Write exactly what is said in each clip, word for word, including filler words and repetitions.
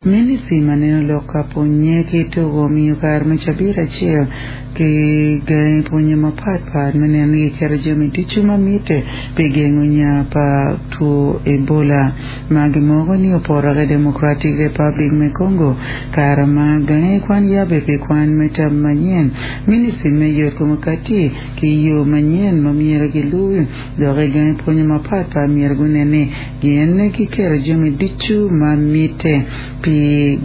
Ministry maneno lok ka pwonye ki tugo miyo kare me cabit acel ki gangi pwonye mapatpat me neno ni giketo jami ducu ma mitte pi gengo nya pa two Ebola ma gimoko ni opoto ki Democratic Republic me Congo kare ma gangi kwan yabe pi kwan me tam manyen Ministry me yot kom kati ki yo manyen ma myero giluwi dok i gangi pwonye mapatpat myero gunen ni gin giketo jami ducu ma mitte pi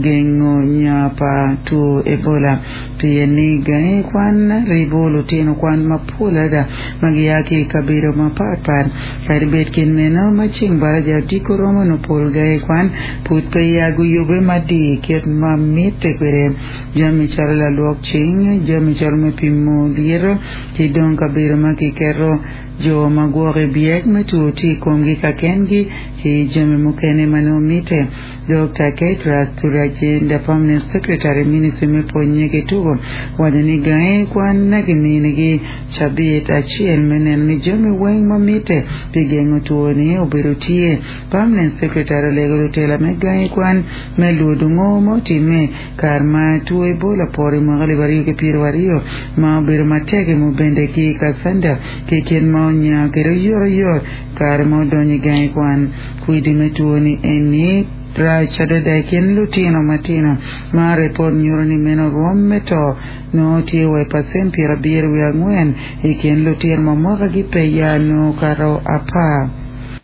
gengo nya pa two Ebola pien ni gangi kwan ribo lutino kwan mapol adada ma gia ki i kabedo mapatpat kadi bed kit meno ma ceng baraja odiko romo no pol gangi kwan pud pe ya guyube madir kit ma mitte kwede jami calo lalwok cing jami calo me pimo lyeto ki dong kabedo ma kiketo jo ma gwoko i byek me two tye i komgi ka kengi ki jami mukene ma nongo mitte Dr. Kedrace Turyagyenda Permanent Secretary Ministry me pwonye ki tugo waco ni gangi kwan na giminigi cabit acel me neno ni jami weng ma mitte pi gengo two-ni obedo tye Permanent Secretary olego lutela me gangi kwan me lwodo ngo ma otimme kare ma two Ebola poto i mwaka alip aryo ki pyero aryo ma obedo matek i Mubende ki Kassanda ki kit ma onya kede oyotoyot kare ma odonyo i gangi kwan kwidi me two-ni eni rac adada i kin lutino matino ma ripot nyuto ni meno rwom me to nongo tye wa i pacent pyero abiro wiye angwen i kin lutino ma mwakagi pe ya nongo kato apar.